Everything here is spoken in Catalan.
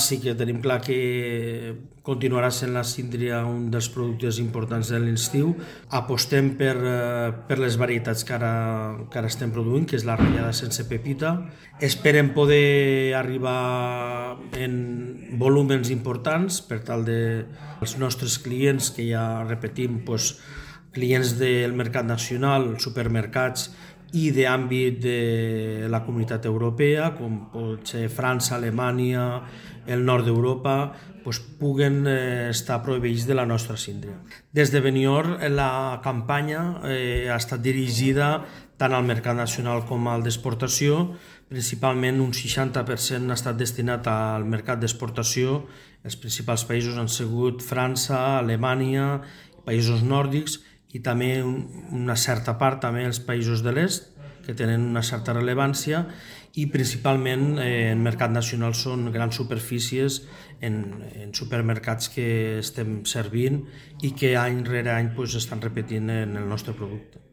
Sí que tenim clar que continuarà sent la síndria un dels productes importants de l'estiu. Apostem per les varietats que ara estem produint, que és la ratllada sense pepita. Esperem poder arribar en volúmens importants per tal dels nostres clients, que ja repetim, clients del mercat nacional, supermercats i d'àmbit de la comunitat europea, com pot ser França, Alemanya, el nord d'Europa, puguen estar proveïts de la nostra síndria. Des de Benidorm la campanya ha estat dirigida tant al mercat nacional com al d'exportació. Principalment un 60% ha estat destinat al mercat d'exportació. Els principals països han sigut França, Alemanya, països nòrdics, i també una certa part també els països de l'est, que tenen una certa rellevància, i principalment en mercat nacional són grans superfícies en supermercats que estem servint i que any rere any estan repetint en el nostre producte.